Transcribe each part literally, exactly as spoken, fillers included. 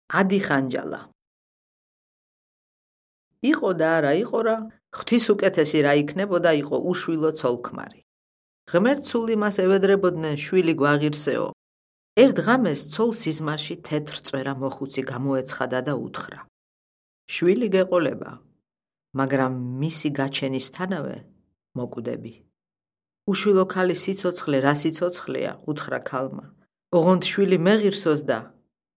ადი ხანჯალა. იყო და არა იყო რა, ღვთისუკეთესი რა იქნებოდა იყო უშვილო ცოლ-ქმარი. ღმერთსული მას ევედრებოდნენ შვილი გვაღირსეო. ერთ ღამეს ცოლ სიზმარში თეთრ წვერა მოხუცი გამოეცხადა და უთხრა. შვილი გეყოლება, მაგრამ მისი გაჩენისთანავე მოკვდები. უშვილო ქალი სიცოცხლე რა სიცოცხლეა, უთხრა ქალმა. ოღონდ შვილი მეღირსოს და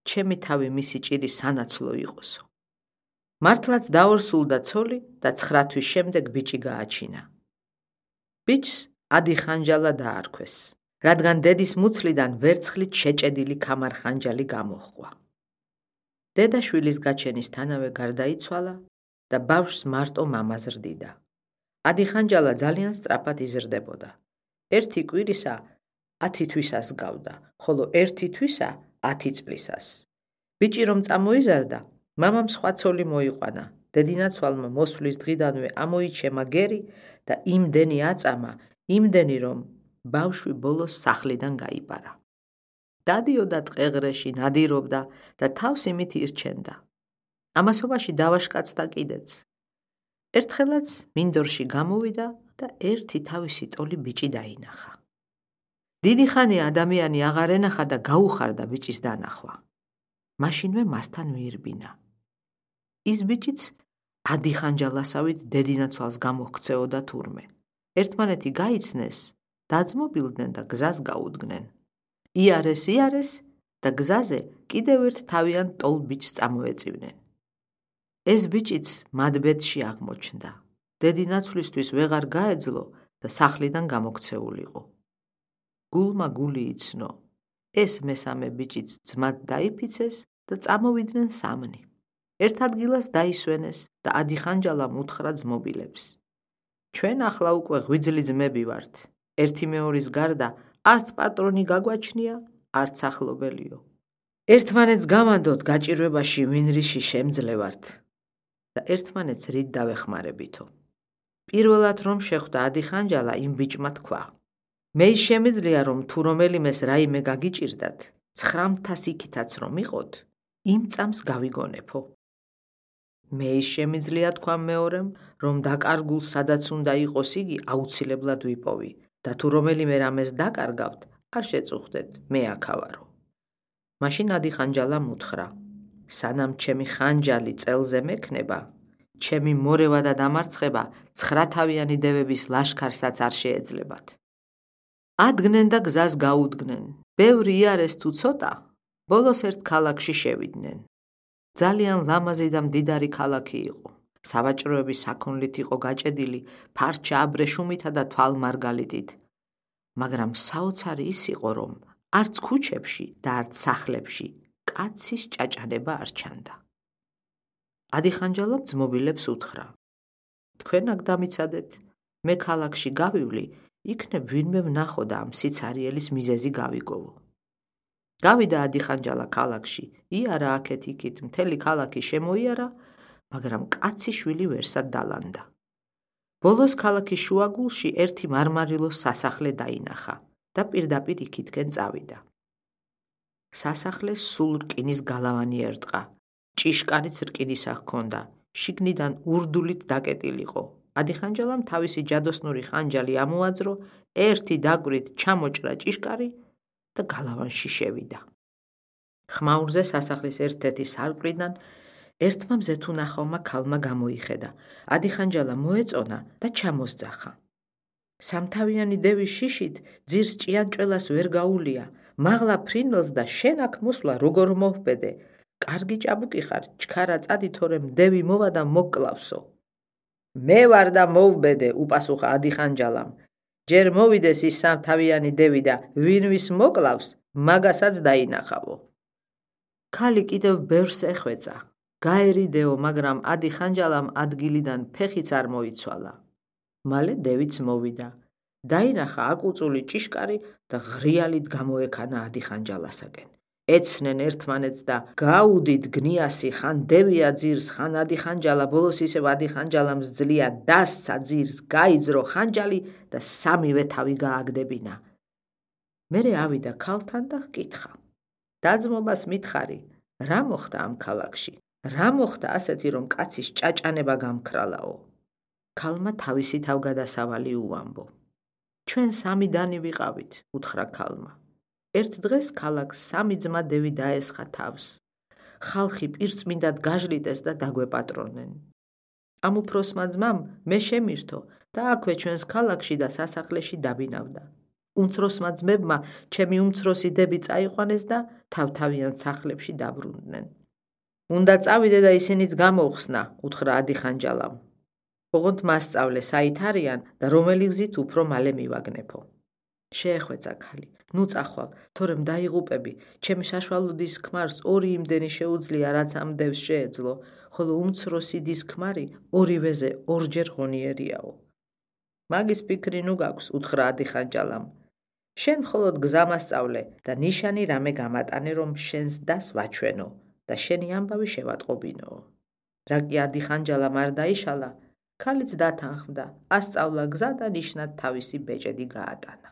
ჩემი თავი მისი ჭირი სანაცვლო იყოსო. მართლაც დაორსულდა ცოლი და ცხრა თვის შემდეგ ბიჭი გააჩინა. ბიჭს ადი ხანჯალა დაარქვეს, რადგან დედის მუცლიდან ვერცხლით შეჭედილი ქამარხანჯალი გამოჰყვა. დედა შვილის გაჩენისთანავე გარდაიცვალა და ბავშვს მარტო მამა ზრდიდა. ადი ხანჯალა ძალიან სწრაფად იზრდებოდა. ერთი კვირისა ათი თვისას გავდა, ხოლო ერთი თვისა ათი წლისას. ბიჭი რომ წამოიზარდა, მამამ სხვა ცოლი მოიყვანა. დედინაცვალმა მოსვლის დღიდანვე ამოიჩემა გერი და იმდენი აწამა, იმდენი რომ ბავშვი ბოლოს სახლიდან გაიპარა. დადიოდა ტყეღრეში, ნადირობდა და თავს იმით ირჩენდა. ამასობაში დავაშკაცდა კიდეც. ერთხელაც მინდორში გამოვიდა და ერთი თავისი ტოლი ბიჭი დაინახა. დიდი ხანია ადამიანი აღარ ენახა და გაუხარდა ბიჭის დანახვა. მაშინვე მასთან მიირბინა. ის ბიჭიც ადი ხანჯალასავით დედინაცვალს გამოჰქცეოდა თურმე. ერთმანეთი გაიცნეს, დაძმობილდნენ და გზას გაუდგნენ. იარეს იარეს და გზაზე კიდევ ერთ თავიან ტოლ ბიჭს წამოეწივნენ. ეს ბიჭიც მადბედში აღმოჩნდა. დედინაცვლისთვის ვეღარ გაეძლო და სახლიდან გამოქცეულიყო. გულმა გული იცნო. ეს მესამე ბიჭიც ძმად დაიფიცეს და წამოვიდნენ სამნი. ერთ ადგილას დაისვენეს და ადი ხანჯალამ უთხრა ძმობილებს. ჩვენ ახლა უკვე ღვიძლი ძმები ვართ. ერთი მეორის გარდა არც პატრონი გაგვაჩნია, არც ახლობელიო. ერთმანეთს გავანდოთ გაჭირვებაში ვინ რიში შემძლევართ და ერთმანეთს რით დავეხმარებითო. პირველად რომ შეხვდა ადი ხანჯალა, იმ ბიჭმა თქვა. მე შემიძლია რომ თუ რომელიმეს რაიმე გაგიჭირდათ, ცხრამთას იქითაც რომ იყოთ, იმ წამს გავიგონებო. მე შემიძლია თქვა მეორემ, რომ დაკარგულ სადაც უნდა იყოს იგი აუცილებლად ვიპოვი და თუ რომელიმე რამეს დაკარგავთ, არ შეწუხდეთ, მე აქავარო. მაშინ ადი ხანჯალამ უთხრა, სანამ ჩემი ხანჯალი წელზე მექნება, ჩემი მორევა და დამარცხება ცხრათავიანი დევების ლაშქარსაც არ შეეძლებათ. ადგნენ და გზას გაუდგნენ. ბევრი იარეს თუ ცოტა, ბოლოს ერთ ქალაქში შევიდნენ. ძალიან ლამაზი და მდიდარი ქალაქი იყო. სავაჭროები საქონლით იყო გაჭედილი, ფარჩა აბრეშუმითა და თვალმარგალიტით. მაგრამ საოცარი ის იყო, რომ არც ქუჩებში და არც სახლებში კაცის ჭაჭანება არ ჩანდა. ადი ხანჯალამ ძმობილებს უთხრა. თქვენ აქ დამიცადეთ, მე ქალაქში გავივლი, იქნებ ვინმე ვნახო და ამ სიცარიელის მიზეზი გავიგოვო. გავიდა ადი ხანჯალა ქალაქში, იარა აქეთ იქით, მთელი ქალაქი შემოიარა, მაგრამ კაცი შვილი ვერსად დალანდა. ბოლოს ქალაქის შუაგულში ერთი მარმარილოს სასახლე დაინახა და პირდაპირ იქითკენ წავიდა. სასახლეს სულ რკინის გალავანი ერტყა, ჭიშკარიც რკინისა ჰქონდა, შიგნიდან ურდულით დაკეტილიყო. ადი ხანჯალამ თავისი ჯადოსნური ხანჯალი ამოაძრო, ერთი დაკვირით ჩამოჭრა ჭიშკარი და გალავანში შევიდა. ხმაურზე სასახლის ერთ-ერთი სარკმლიდან ერთმა მზეთუნახავმა ქალმა გამოიხედა. ადი ხანჯალა მოეწონა და ჩამოსძახა. სამთავიანი დევის შიშით ძირს ჭიანჭველას ვერ გაულია, მაღლა ფრინველს და შენ აქ მოსვლა როგორ მოჰბედე. კარგი ჭაბუკი ხარ, ჩქარა წადი თორემ დევი მოვა და მოგკლავსო. მე ვარ და მოვბედე, უპასუხა ადი ხანჯალამ. ჯერ მოვიდეს ის სამთავიანი დევი და ვინვის მოკლავს, მაგასაც დაინახავო. ქალი კიდევ ბევრს ეხვეწა. გაერიდეო, მაგრამ ადი ხანჯალამ ადგილიდან ფეხიც არ მოიცვალა. მალე დევიც მოვიდა. დაინახა აკუწული ჭიშკარი და ღრიალით გამოექანა ადი ხანჯალასაკენ. ეცნენ ერთმანეთს და გაუდით გნიასი, ხან დევია ძირს, ხან ადი ხანჯალა, ბოლოს ისევ ადი ხანჯალამს ძლია დასცა ძირს, გაიძრო ხანჯალი და სამივე თავი გააგდებინა. მერე ავიდა ქალთან და ჰკითხა. დაძმობას მითხარი, რა მოხდა ამ ქალაქში? რა მოხდა ასეთი, რომ კაცის ჭაჭანება გამქრალაო? ქალმა თავისი თავგადასავალი უამბო. ჩვენ სამი დანი ვიყავით, უთხრა ქალმა. ერთ დღეს ქალაქს სამი ძმა დევი დაესხა თავს. ხალხი პირწმინდად გაჟლიტეს და დაგვეპატრონენ. ამ უფროსმა ძმამ მე შემირთო და აქვე ჩვენს ქალაქში და სასახლეში დაბინავდა. უმცროსმა ძმებმა ჩემი უმცროსი დები წაიყვანეს და თავთავიან სახლებში დაბრუნდნენ. უნდა წავიდე და ისინიც გამოვხსნა, უთხრა ადიხანჯალამ. ოღონდ მასწავლე საით არიან და რომელი გზით უფრო მალე მივაგნებო. შეეხვეწა ქალი. ნუ წახვალ, თორემ დაიღუპები, ჩემი საშუალო დის ქმარს ორი იმდენი შეუძლია, რაც ამ დევს შეეძლო, ხოლო უმცროსი დის ქმარი ორივეზე ორჯერ ღონიერიაო. მაგის ფიქრი ნუ გაქვს, უთხრა ადიხანჯალამ. შენ მხოლოდ გზა მასწავლე და ნიშანი რამე გამატანე, რომ შენს დას ვაჩვენო და შენი ამბავი შევატყობინო. რა კი ადიხანჯალამ არ დაიშალა, ქალიც დათანხმდა, ასწავლა გზა და ნიშნად თავისი ბეჭედი გაატანა.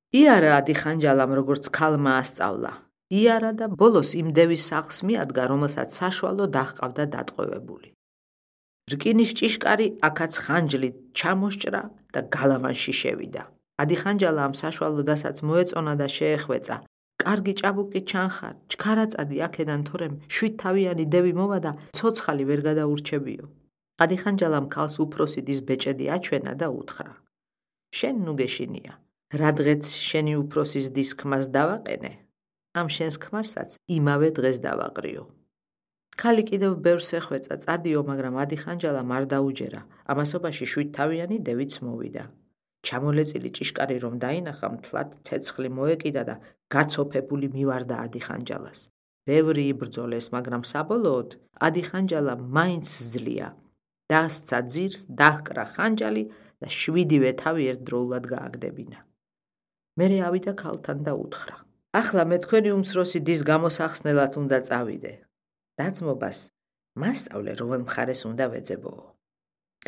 იარა ადიხანჯალამ როგორც ქალმა ასწავლა. იარა და ბოლოს იმ დევის სახლს მიადგა, რომელსაც საშუალო დაჰყავდა დატყვევებული. რკინის ჭიშკარი აქაც ხანჯლით ჩამოსჭრა და გალავანში შევიდა. ადიხანჯალა ამ საშუალო დასაც მოეწონა და შეეხვეწა. კარგი ჭაბუკი ჩანხარ, ჩქარაწადი აქედან, თორემ შვიდთავიანი დევი მოვა და ცოცხალი ვერ გადაურჩებიო. ადიხანჯალამ ქალს უფროსი დის ბეჭედი აჩვენა და უთხრა. შენ ნუ გეშინია. რადგეც შენი უფროსის დის ქმარს დავაყენე, ამ შენს ქმარსაც იმავე დღეს დავაყრიო. ქალი კიდევ ბევრს ეხვეწა წადიო, მაგრამ ადიხანჯალამ არ დაუჯერა. ამასობაში შვიდთავიანი დევიც მოვიდა. ჩამოლეწილი ჭიშკარი რომ დაინახა, მთლად ცეცხლი მოეკიდა და გაცოფებული მივარდა ადიხანჯალას. ბევრი იბრძოლეს, მაგრამ საბოლოოდ ადიხანჯალა მაინც ძლია. დასცა ძირს, დაჰკრა ხანჯალი და შვიდივე თავი ერთდროულად გააგდებინა. მერე ავიდა ქალთან და უთხრა. ახლა მე თქვენი უმცროსი დის გამოსახსნელად უნდა წავიდე. დაძმობას მასწავლე, რომელ მხარეს უნდა ვეძებოო.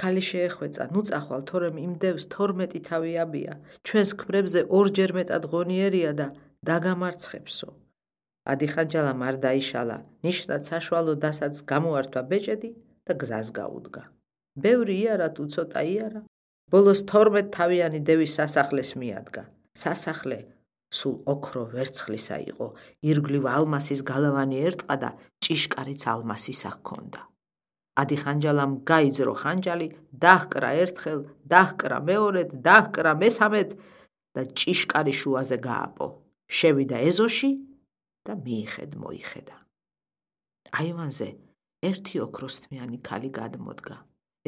ქალი შეეხვეწა, ნუ წახვალ, თორემ იმ დევს თორმეტი თავი აბია, ჩვენს ქმრებზე ორჯერ მეტად ღონიერია და დაგამარცხებსო. ადიხანჯალამ არ დაიშალა, ნიშნად საშუალო დასაც გამოართვა ბეჭედი და გზას გაუდგა. ბევრი იარა თუ ცოტა იარა, ბოლოს თორმეტ თავიანი დევის სასახლეს მიადგა. სასახლე სულ ოქრო ვერცხლისა იყო, ირგვლივ ალმასის გალავანი ერტყა და ჭიშკარიც ალმასისა ჰქონდა. ადიხანჯალამ გაიძრო ხანჯალი, დაჰკრა ერთხელ, დაჰკრა მეორედ, დაჰკრა მესამედ და ჭიშკარი შუაზე გააპო. შევიდა ეზოში და მიიხედ მოიხედა. აივანზე ერთი ოქროსთმიანი ქალი გადმოდგა.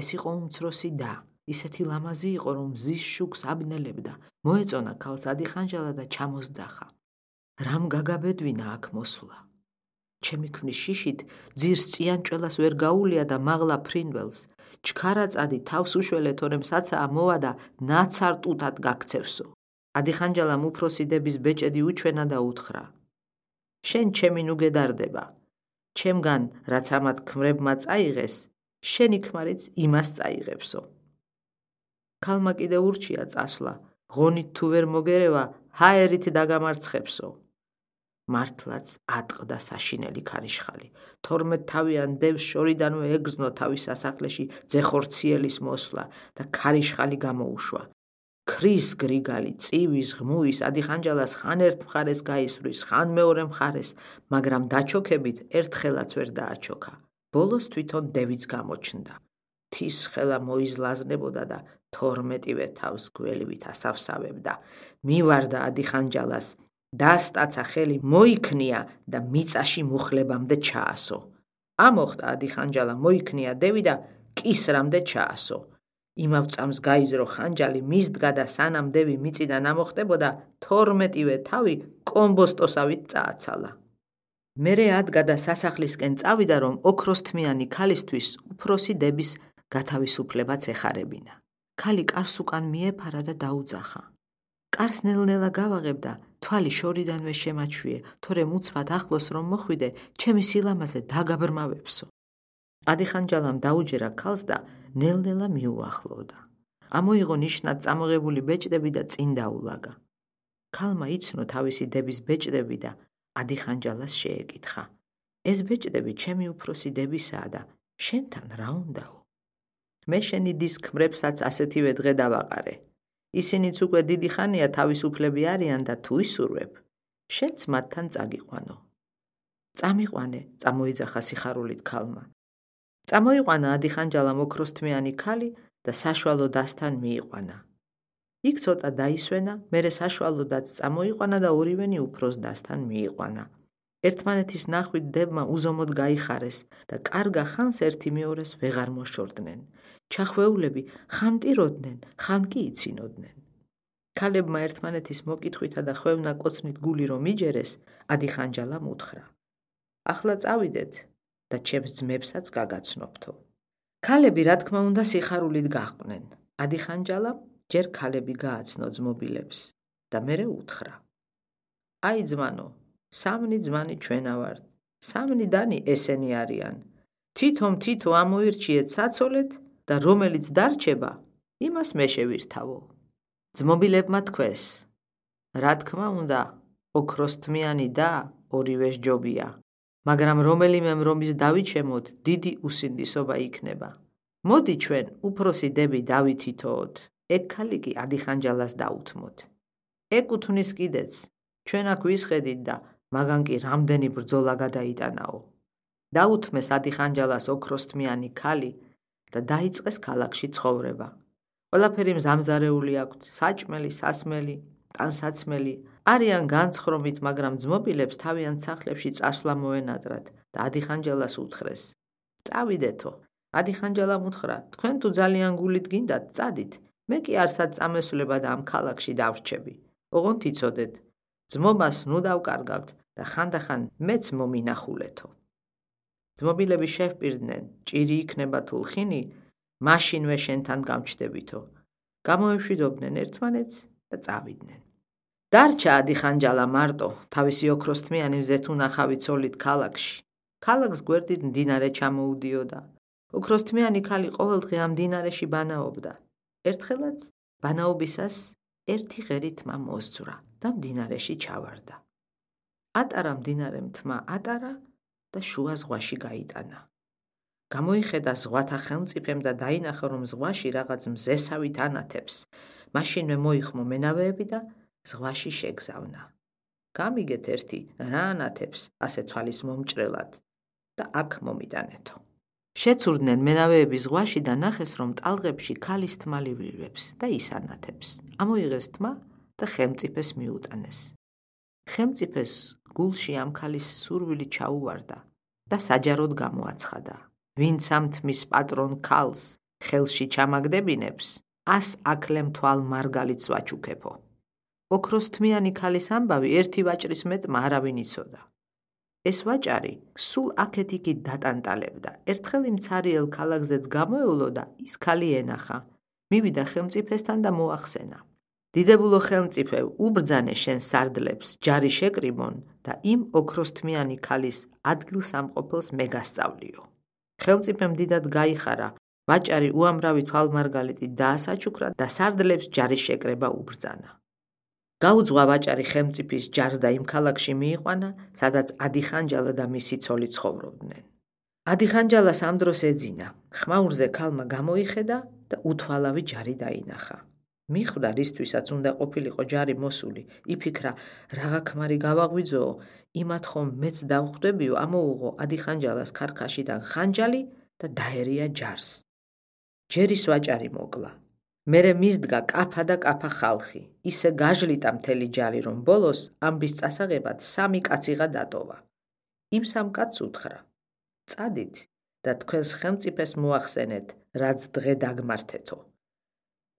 ეს იყო უმცროსი და, ისეთი ლამაზი იყო, რომ მზის შუქს აბნელებდა. მოეწონა ქალს ადიხანჯალა და ჩამოსძახა. რამ გაგაბედვინა აქ მოსვლა? ჩემი ქმრის შიშით ძირს წიანჭველას ვერ გაუვლია და მაღლა ფრინველს. ჩქარაწადი თავს უშველე, თორემ საცაა მოვა და ნაცარ ტუტად გაქცევსო. ადიხანჯალამ უფროსი დების ბეჭედი უჩვენა და უთხრა. შენ ჩემი ნუ გედარდება. ჩემგან რაც ამათ ქმრებმა წაიღეს, შენი ქმარიც იმას წაიღებსო. ქალმა კიდე ურჩია წასვლა, ღონით თუ ვერ მოგერევა, ჰაერით დაგამარცხებსო. მართლაც ატყდა საშინელი ქარიშხალი. თორმეტ თავიან დევს შორიდანვე ეგრძნო თავის სასახლეში ძეხორციელის მოსვლა და ქარიშხალი გამოუშვა. ქრის გრიგალი, წივის, ღმუის, ადიხანჯალას ხან ერთ მხარეს გაისვრის, ხან მეორე მხარეს, მაგრამ დაჩოქებით ერთხელაც ვერ დააჩოქა. ბოლოს თვითონ დევიც გამოჩნდა. თის ხელა მოიზლაზნებოდა და თორმეტივე თავს გველივით ასავსავებდა. მივარდა ადიხანჯალას, დასტაცა ხელი მოიქნია და მიწაში მუხლებამდე ჩაასო. ამოხდა ადიხანჯალა, მოიქნია დევი და კისრამდე ჩაასო. იმავ წამს გაიძრო ხანჯალი, მისდგა და სანამ დევი მიწიდან ამოხდებოდა, თორმეტივე თავი კომბოსტოსავით წააცალა. მერე ადგა და სასახლისკენ წავიდა, რომ ოქროსთმიანი ქალისთვის უფროსი დების გათავისუფლებაც ეხარებინა. ქალი კარს უკან მიეფარა და დაუძახა. კარს ნელ-ნელა გავაღებ და თვალი შორიდანვე შემაჩვიე, თორემ უცბად ახლოს რომ მოხვიდე, ჩემი სილამაზე დაგაბრმავებსო. ადიხანჯალამ დაუჯერა ქალს და ნელ-ნელა მიუახლოვდა. ამოიღო ნიშნად წამოღებული ბეჭდები და წინ დაულაგა. ქალმა იცნო თავისი დების ბეჭდები და ადიხანჯალას შეეკითხა. ეს ბეჭდები ჩემი უფროსი დებისაა და შენთან რა უნდაო? მე შენი დის ქმრებსაც ასეთივე დღე დავაყარე. ისინიც უკვე დიდი ხანია თავისუფლები არიან და თუ ისურვებ, შენც მათთან წაგიყვანო. წამიყვანე, წამოიძახა სიხარულით ქალმა. წამოიყვანა ადიხანჯალამ ოქროსთმიანი ქალი და საშუალო დასთან მიიყვანა. იქ ცოტა დაისვენა, მერე საშუალოდაც წამოიყვანა და ორივენი უფროს დასთან მიიყვანა. ერთმანეთის ნახვით დებმა უზომოდ გაიხარეს და კარგა ხანს ერთი მეორეს ვეღარ მოშორდნენ. ჩახვეულები ხან ტიროდნენ, ხან კი იცინოდნენ. ქალებმა ერთმანეთის მოკითხვითა და ხვევნა კოცნით გული რომ იჯერეს, ადიხანჯალამ უთხრა. ახლა წავიდეთ და ჩემს ძმებსაც გაგაცნობთო. ქალები რა თქმა უნდა სიხარულით გაჰყვნენ. ადიხანჯალამ ჯერ ქალები გააცნო ძმობილებს და მერე უთხრა. აი ძმანო, სამნი ძმანი ჩვენა ვართ, სამნი დანი ესენი არიან. თვითონ თითო ამოირჩიეთ საცოლეთ და რომელიც დარჩება, იმას მე შევირთავო. ძმობილებმა თქვეს, რა თქმა უნდა, ოქროსთმიანი და ორივე სჯობია, მაგრამ რომელიმე რომის დავიჩემოთ, დიდი უსინდისობა იქნება. მოდი ჩვენ უფროსი დები დავითითოოთ, ეგ ქალი კი ადიხანჯალას დაუთმოთ. ეგ უთვნის კიდეც, ჩვენ აქ ვისხედით და მაგან კი რამდენი ბრძოლა გადაიტანაო. დაუთმეს ადიხანჯალას ოქროსთმიანი ქალი და დაიწყეს ქალაქში ცხოვრება. ყველაფერი მზამზარეული აქვთ, საჭმელი, სასმელი, ტანსაცმელი, არიან განცხრომით, მაგრამ ძმობილებს თავიანთ სახლებში წასვლა მოენატრათ და ადიხანჯალას უთხრეს. წავიდეთო, ადიხანჯალამ უთხრა, თქვენ თუ ძალიან გულით გინდათ, წადით, მე კი არსად წამესვლება და ამ ქალაქში დავრჩები. ოღონდ იცოდეთ, ძმობას ნუ დავკარგავთ და ხანდახან მეც მომინახულეთო. ძმობილები შევპირდნენ, ჭირი იქნება თუ ლხინი, მაშინვე შენთან გამჩდებითო. გამოეშვიდობდნენ ერთმანეთს და წავიდნენ. დარჩა ადიხანჯალა მარტო, თავისი ოქროსთმიანი მზეთუნახავი ცოლით ქალაქში. ქალაქს გვერდით მდინარე ჩამოუდიოდა. ოქროსთმიანი ქალი ყოველდღე ამ მდინარეში ბანაობდა. ერთხელაც ბანაობისას ერთი ღერი თმა მოსძვრა და მდინარეში ჩავარდა. ატარა მდინარემ თმა ატარა და შუა ზღვაში გაიტანა. გამოიხედა ზღვათა ხელმწიფემ და დაინახა, რომ ზღვაში რაღაც მზესავით ანათებს. მაშინვე მოიხმო მენავეები და ზღვაში შეგზავნა. გამიგეთ ერთი რა ანათებს ასე თვალის მომჭრელად და აქ მომიტანეთო. შეცურდნენ მენავეები ზღვაში და ნახეს, რომ ტალღებში ქალის თმა ლივლივებს და ის ანათებს. ამოიღეს თმა და ხელმწიფეს მიუტანეს. ხელმწიფეს გულში ამ ქალის სურვილი ჩაუვარდა და საჯაროდ გამოაცხადა. ვინც ამ თმის პატრონ ქალს ხელში ჩამაგდებინებს, ას აკლემ თვალ მარგალიც ვაჩუქებო. ოქროსთმიანი ქალის ამბავი ერთი ვაჭრის მეტმა არავინ იცოდა. ეს ვაჭარი სულ აქეთ-იქით დატანტალებდა. ერთხელ იმ ცარიელ ქალაქზეც გამოევლო და ის ქალი ენახა. მივიდა ხელმწიფესთან და მოახსენა. დიდებულო ხელმწიფე, უბრძანე შენ სარდლებს, ჯარი შეკრიბონ და იმ ოქროსთმიანი ქალის ადგილსამყოფელს მე გასწავლიო. ხელმწიფემ დიდად გაიხარა, ვაჭარი უამრავი თვალმარგალიტით დაასაჩუქრა და სარდლებს ჯარის შეკრება უბრძანა. გაუძღვა ვაჭარი ხელმწიფის ჯარს და იმ ქალაქში მიიყვანა, სადაც ადიხანჯალა და მისი ცოლი ცხოვრობდნენ. ადიხანჯალას ამ დროს ეძინა, ხმაურზე ქალმა გამოიხედა და უთვალავი ჯარი დაინახა. მიხვდა რისთვისაც უნდა ყოფილიყო ჯარი მოსული, იფიქრა, რაღა ქმარი გავაღვიძოო, იმათ ხომ მეც დავხვდებიო, ამოუღო ადიხანჯალას ქარქაშიდან ხანჯალი და დაერია ჯარს. ჯერის ვაჭარი მოკლა. მერე მისდგა კაფა და კაფა ხალხი, ისე გაჟლიტა მთელი ჯარი, რომ ბოლოს ამბის წასაღებად სამი კაციღა დატოვა. იმ სამ კაცს უთხრა, წადით და თქვენს ხელმწიფეს მოახსენეთ, რაც დღე დაგმართეთო.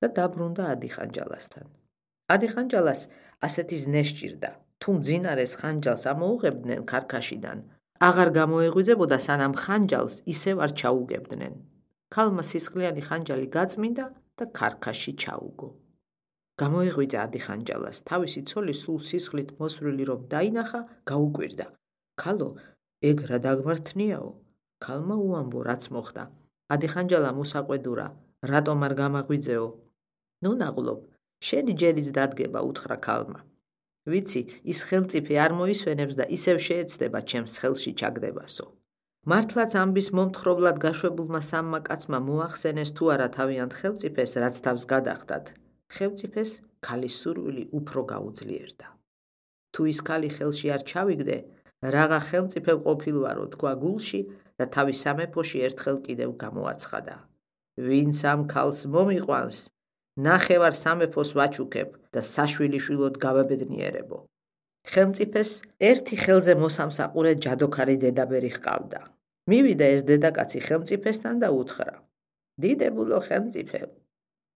და დაბრუნდა ადიხანჯალასთან. ადიხანჯალას ასეთი ზნე სჭირდა, თუ მძინარეს ხანჯალს ამოუღებდნენ ქარქაშიდან, აღარ გამოეღვიძებოდა, სანამ ხანჯალს ისევ არ ჩაუგებდნენ. ქალმა სისხლიანი ხანჯალი გაწმინდა და ქარქაში ჩაუგო. გამოეღვიძა ადიხანჯალას, თავისი ცოლი სულ სისხლით მოსვლილი რომ დაინახა, გაუკვირდა. ქალო, ეგ რა დაგმართნიაო? ქალმა უამბო, რაც მოხდა. ადიხანჯალამ უსაყვედურა, რატომ არ გამაღვიძეო? ნუ ნაღლობ, შენი ჯერიც დადგება, უთხრა ქალმა. ვიცი, ის ხელმწიფე არ მოისვენებს და ისევ შეეცდება ჩემს ხელში ჩაგდებასო. მართლაც ამბის მომთხრობლად გაშვებულმა სამმა კაცმა მოახსენეს თუ არა თავიანთ ხელმწიფეს, რაც თავს გადახდათ. ხელმწიფეს ქალის სურვილი უფრო გაუძლიერდა. თუ ის ქალი ხელში არ ჩავიგდე, რაღა ხელმწიფე ყოფილვარო თქვა გულში და თავის სამეფოში ერთხელ კიდევ გამოაცხადა. ვინც ამ ქალს მომიყვანს, ნახევარ სამეფოს ვაჩუქებ და საშვილიშვილოდ გავაბედნიერებო. ხელმწიფეს ერთი ხელზე მოსამსაყურე ჯადოქარი დედაბერი ჰყავდა. მივიდა ეს დედაკაცი ხელმწიფესთან და უთხრა: დიდებულო ხელმწიფე,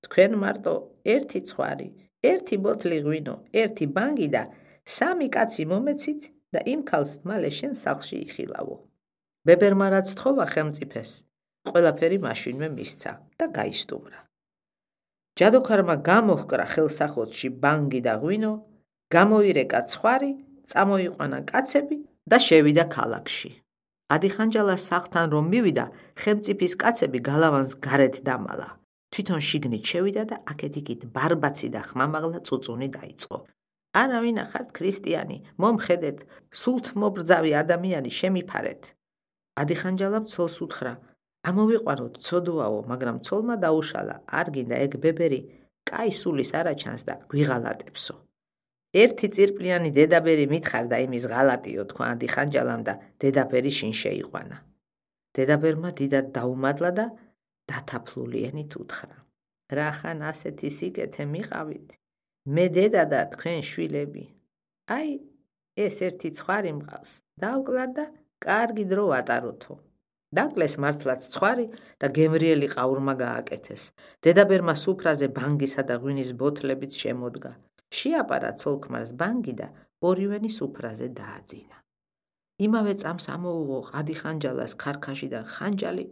თქვენ მარტო ერთი ცხვარი, ერთი ბოთლი ღვინო, ერთი ბანგი და სამი კაცი მომეცით და იმ ქალს მალე შენ სახლში იხილავო. ბებერმა რაც თხოვა ხელმწიფეს, ყველაფერი მაშინვე მისცა და გაისტუმრა. ჯადოქარმა გამოჰკრა ხელსახოთში ბანგი და ღვინო, გამოირეკა ცხვარი, წამოიყვანა კაცები და შევიდა ქალაქში. ადიხანჯალას სახლთან რომ მივიდა, ხელმწიფის კაცები გალავანს გარეთ დამალა. თვითონ შიგნით შევიდა და აქეთ-იქით ბარბაცი და ხმამაღლა წუწუნი დაიწყო. არავინ ახართ ქრისტიანი, მომხედეთ, სულთ მობრძავი ადამიანი შემიფარეთ. ადიხანჯალამ ცოლს უთხრა: ამოვიყვანოთ ცოდვაო, მაგრამ ცოლმა დაუშალა, არ გინდა ეგ ბებერი კაი სულის არაჩანს და გვიღალატებსო. ერთი წირპლიანი დედაბერი მითხარ და იმის ღალატიო, თქვა ადიხანჯალამ და დედაბერი შინ შეიყვანა. დედაბერმა დიდად დაუმადლა და დათაფლული ენით უთხრა: რახან ასეთი სიკეთე მიყავით? მე დედა და თქვენ შვილები. აი, ეს ერთი ცხვარი მყავს. დავკლათ და კარგი დრო ვატაროთო. დაკლეს მართლაც ცხვარი და გემრიელი ყაურმა გააკეთეს. დედაბერმა სუფრაზე ბანგისა და ღვინის ბოთლებიც შემოდგა. შეაპარა ცოლ-ქმარს ბანგი და ორივენი სუფრაზე დააძინა. იმავე წამს ამოუღო ადიხანჯალას ქარქაშიდან ხანჯალი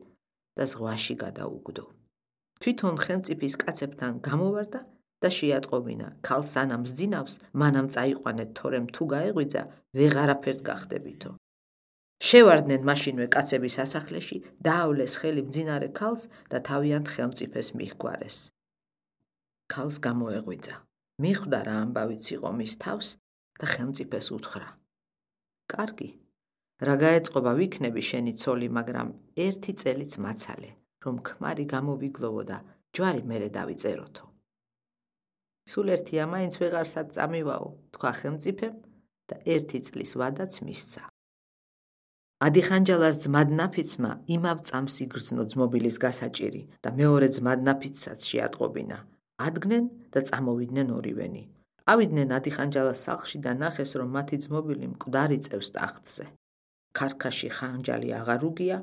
და ზღვაში გადაუგდო. თვითონ ხელმწიფის კაცებთან გამოვარდა და შეატყობინა: ქალს სანამ სძინავს, მანამ წაიყვანეთ, თორემ თუ გაეღვიძა, ვეღარაფერს გახდებითო. შევარდნენ მაშინვე კაცების სასახლეში, დაავლეს ხელი მძინარე ქალს და თავიანთ ხელმწიფეს მიჰგვარეს. ქალს გამოეღვიძა. მიხვდა რა ამბავიც იყო მის თავს და ხელმწიფეს უთხრა: კარგი, რა გაეწყობა ვიქნები შენი ცოლი, მაგრამ ერთი წელიც მაცალე, რომ ქმარი გამოვიგლოვო და ჯვარი მერე დავიწეროთო. სულ ერთია მაინც ვეღარსად წამივაო, თქვა ხელმწიფემ და ერთი წლის ვადაც მისცა. ადიხანჯალას ძმადნაფიცმა იმავ წამს იგრძნო ძმობილის გასაჭირი და მეორე ძმადნაფიცსაც შეატყობინა. ადგნენ და წამოვიდნენ ორივენი. ავიდნენ ადიხანჯალას სახლში და ნახეს, რომ მათი ძმობილი მკვდარი წევს ტახტზე. ქარქაში ხანჯალი აღარ უგია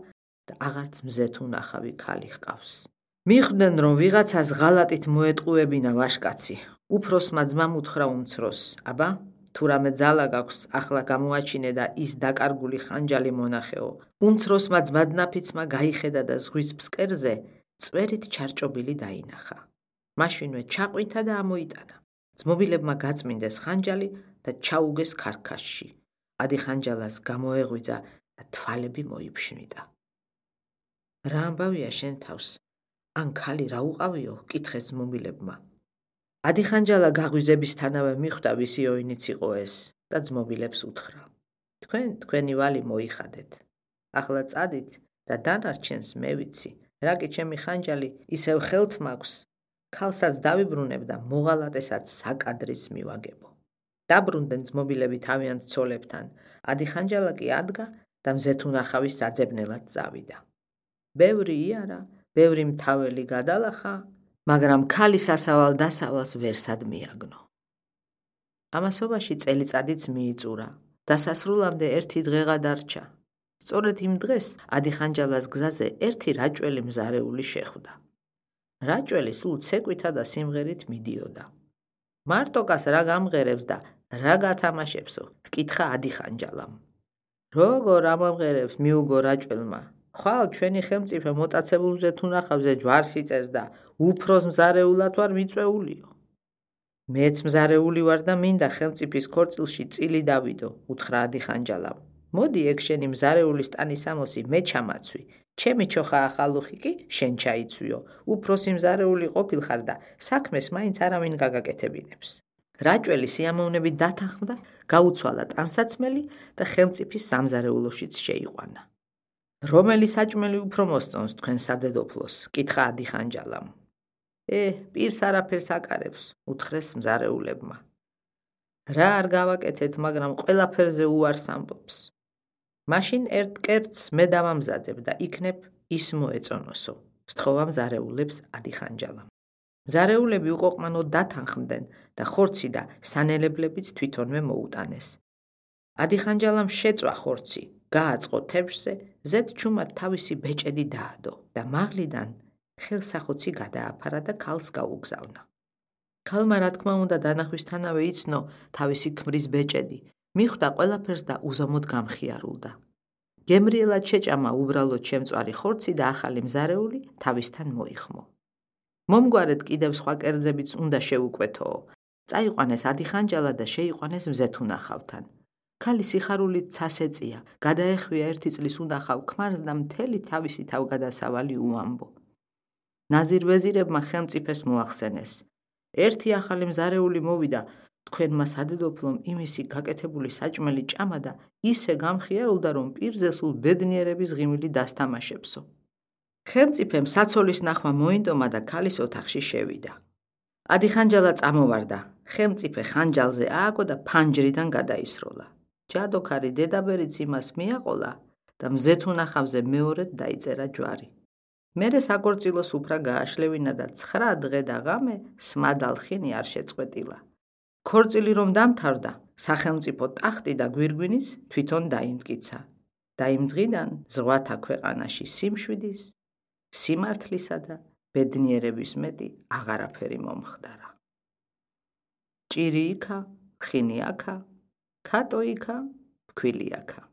და აღარც მზეთ უნახავი ქალი ჰყავს. მიხვდნენ, რომ ვიღაცას ღალატით მოეტყუებინა ვაშკაცი. უფროსმა ძმამ უთხრა უმცროს: აბა, თუ რამე ძალა გაქვს, ახლა გამოაჩინე და ის დაკარგული ხანჯალი მონახეო. უმცროსმა ძმადნაფიცმა გაიხედა და ზღვის ფსკერზე წვერით ჩარჭობილი დაინახა. მაშინვე ჩაყვითა და ამოიტანა. ძმობილებმა გაწმინდეს ხანჯალი და ჩაუგეს ქარქაშში. ადიხანჯალას გამოეღვიძა და თვალები მოიფშნიდა. რა ამბავია შენ თავს? ან ქალი რა უყავიო? კითხეს ძმობილებმა. ადიხანჯალა გაღვიძებისთანავე მიხვდა ვისი ოინიც იყო ეს და ძმობილებს უთხრა: თქვენ თქვენი ვალი მოიხადეთ. ახლა წადით და დანარჩენს მე ვიცი. რა კი ჩემი ხანჯალი ისევ ხელთ მაქვს, ქალსაც დავიბრუნებ და მოღალატესაც საკადრის მივაგებო. დაბრუნდნენ ძმობილები თავიანთ ცოლებთან. ადიხანჯალა კი ადგა და მზეთუნახავის საძებნელად წავიდა. ბევრი იარა, ბევრი მთაველი გადალახა, მაგრამ ქალის ასავალ დასავალს ვერსად მიაგნო. ამასობაში წელიწადიც მიიწურა. დასასრულამდე ერთი დღეღა დარჩა. სწორედ იმ დღეს ადიხანჯალას გზაზე ერთი რაჭველი მზარეული შეხვდა. რაჭველი სულ ცეკვითა და სიმღერით მიდიოდა. მარტოკას რა გამღერებს და რა გათამაშებსო? ჰკითხა ადიხანჯალამ. როგორ ამამღერებს მიუგო რაჭველმა? ხვალ ჩვენი ხელმწიფე მოტაცებულ მზეთუნახავზე ჯვარს იწეს და უფროს მზარეულად ვარ მიწვეულიო. მეც მზარეული ვარ და მინდა ხელმწიფის ქორწილში წილი დავიდო, უთხრა ადიხანჯალამ. მოდი ეგ შენი მზარეულის ტანისამოსი მე ჩამაცვი. ჩემი ჩოხა ახალუხი კი შენ ჩაიცვიო. უფროსი მზარეული ყოფილხარ და საქმეს მაინც არავინ გაგაკეთებინებს. რაჭველი სიამოვნებით დათანხმდა, გაუცვალა ტანსაცმელი და ხელმწიფის სამზარეულოშიც შეიყვანა. რომელი საჭმელი უფრო მოსწონს თქვენ სადედოფლოს? კითხა ადიხანჯალამ. ე, პირს არაფერს აკარებს, უთხრეს მზარეულებმა. რა არ გავაკეთეთ, მაგრამ ყველაფერზე უარს ამბობს. მაშინ ერთ კერძს მე დავამზადებ და იქნებ ის მოეწონოსო, სთხოვა მზარეულებს ადიხანჯალამ. მზარეულები უყოყმანოდ დათანხმდნენ და ხორცი და სანელებლებიც თვითონვე მოუტანეს. ადიხანჯალამ შეწვა ხორცი, გააწყო თებშზე, ზედ ჩუმად თავისი ბეჭედი დაადო და მაღლიდან ხელსახოცი გადააფარა და ქალს გაუგზავნა. ქალმა რა თქმა უნდა დანახვისთანავე იცნო თავისი ქმრის ბეჭედი, მიხვდა ყველაფერს და უზომოდ გამხიარულდა. გემრიელად შეჭამა უბრალოდ შემწვარი ხორცი და ახალი მზარეული თავისთან მოიხმო. მომგვარედ კიდევ სხვა კერძებიც უნდა შეუკვეთოო. წაიყვანეს ადიხანჯალა და შეიყვანეს მზეთუნახავთან. ქალი სიხარულით ცას ეწია, გადაეხვია ერთი წლის უნახავ ქმარს და მთელი თავისი თავგადასავალი უამბო. ნაზირ ვეზირებმა ხელმწიფეს მოახსენეს. ერთი ახალი მზარეული მოვიდა, თქვენმა სადედოფლომ იმისი გაკეთებული საჭმელი ჭამა და ისე გამხიარულდა, რომ პირზე სულ ბედნიერების ღიმილი დასთამაშებსო. ხელმწიფემ საცოლის ნახვა მოინდომა და ქალის ოთახში შევიდა. ადიხანჯალა წამოვარდა, ხელმწიფე ხანჯალზე ააგო და ფანჯრიდან გადაისროლა. ჯადოქარი დედაბერიც იმას მიაყოლა და მზეთუნახავზე მეორედ დაიწერა ჯვარი. მერე საკორწილოს უფრა გააშლევინა და ცხრა დღე და ღამე სმადალხინი არ შეწყვეტილა. ქორწილი რომ დამთავრდა, სახელმწიფო ტახტი და გვირგვინიც თვითონ დაიმტკიცა. და იმ დღიდან ზღვათა ქვეყანაში სიმშვიდის, სიმართლისა და ბედნიერების მეტი აღარაფერი მომხდარა. ჭირი იქა, ხინი აქა, ქატო იქა, ფქვილი აქა.